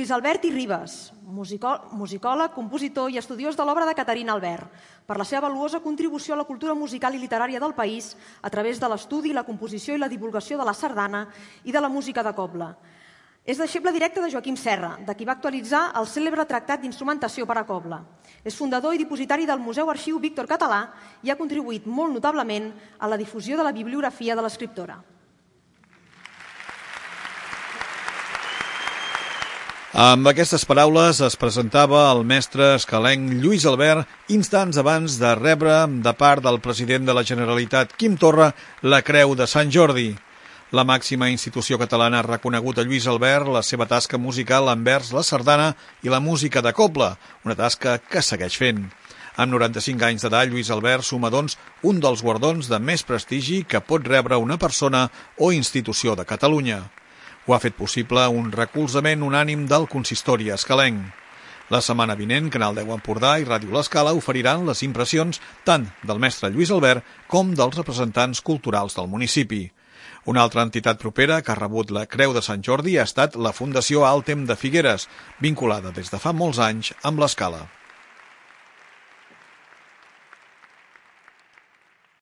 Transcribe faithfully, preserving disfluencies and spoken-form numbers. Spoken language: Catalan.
Lluís Albert i Ribes, musicòleg, compositor i estudiós de l'obra de Caterina Albert, per la seva valuosa contribució a la cultura musical i literària del país a través de l'estudi, la composició i la divulgació de la sardana i de la música de cobla. És deixeble directe de Joaquim Serra, de qui va actualitzar el cèlebre tractat d'instrumentació per a cobla. És fundador i dipositari del Museu Arxiu Víctor Català i ha contribuït molt notablement a la difusió de la bibliografia de l'escriptora. Amb aquestes paraules es presentava el mestre escalenc Lluís Albert instants abans de rebre de part del president de la Generalitat, Quim Torra, la Creu de Sant Jordi. La màxima institució catalana ha reconegut a Lluís Albert la seva tasca musical envers la sardana i la música de cobla, una tasca que segueix fent. Amb noranta-cinc anys d'edat, Lluís Albert suma, doncs, un dels guardons de més prestigi que pot rebre una persona o institució de Catalunya. Ho ha fet possible un recolzament unànim del consistori escalenc. La setmana vinent, Canal deu Empordà i Ràdio L'Escala oferiran les impressions tant del mestre Lluís Albert com dels representants culturals del municipi. Una altra entitat propera que ha rebut la Creu de Sant Jordi ha estat la Fundació Altem de Figueres, vinculada des de fa molts anys amb l'Escala.